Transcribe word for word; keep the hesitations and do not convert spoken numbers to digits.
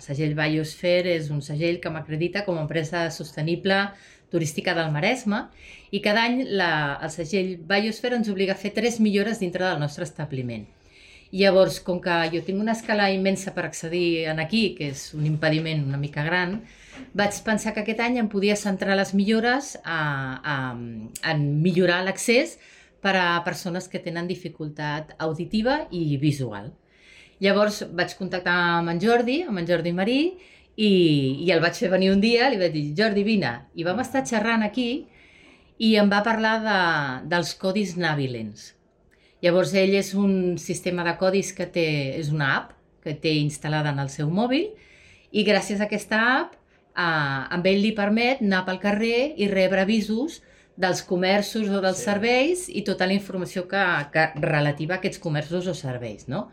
El segell Biosphere és un segell que m'acredita com a empresa sostenible turística del Maresme i cada any la, el segell Biosphere ens obliga a fer tres millores dintre del nostre establiment. I llavors, com que jo tinc una escala immensa per accedir en aquí, que és un impediment una mica gran, vaig pensar que aquest any em podia centrar les millores a, a, a millorar l'accés per a persones que tenen dificultat auditiva i visual. Llavors vaig contactar amb en Jordi, amb en Jordi Marí, i, i el vaig fer venir un dia, li vaig dir, Jordi, vine. I vam estar xerrant aquí i em va parlar de, dels codis Navilens. Llavors ell és un sistema de codis que té, és una app que té instal·lada en el seu mòbil i gràcies a aquesta app eh, amb ell li permet anar pel carrer i rebre avisos dels comerços o dels sí. serveis i tota la informació que, que relativa a aquests comerços o serveis, no?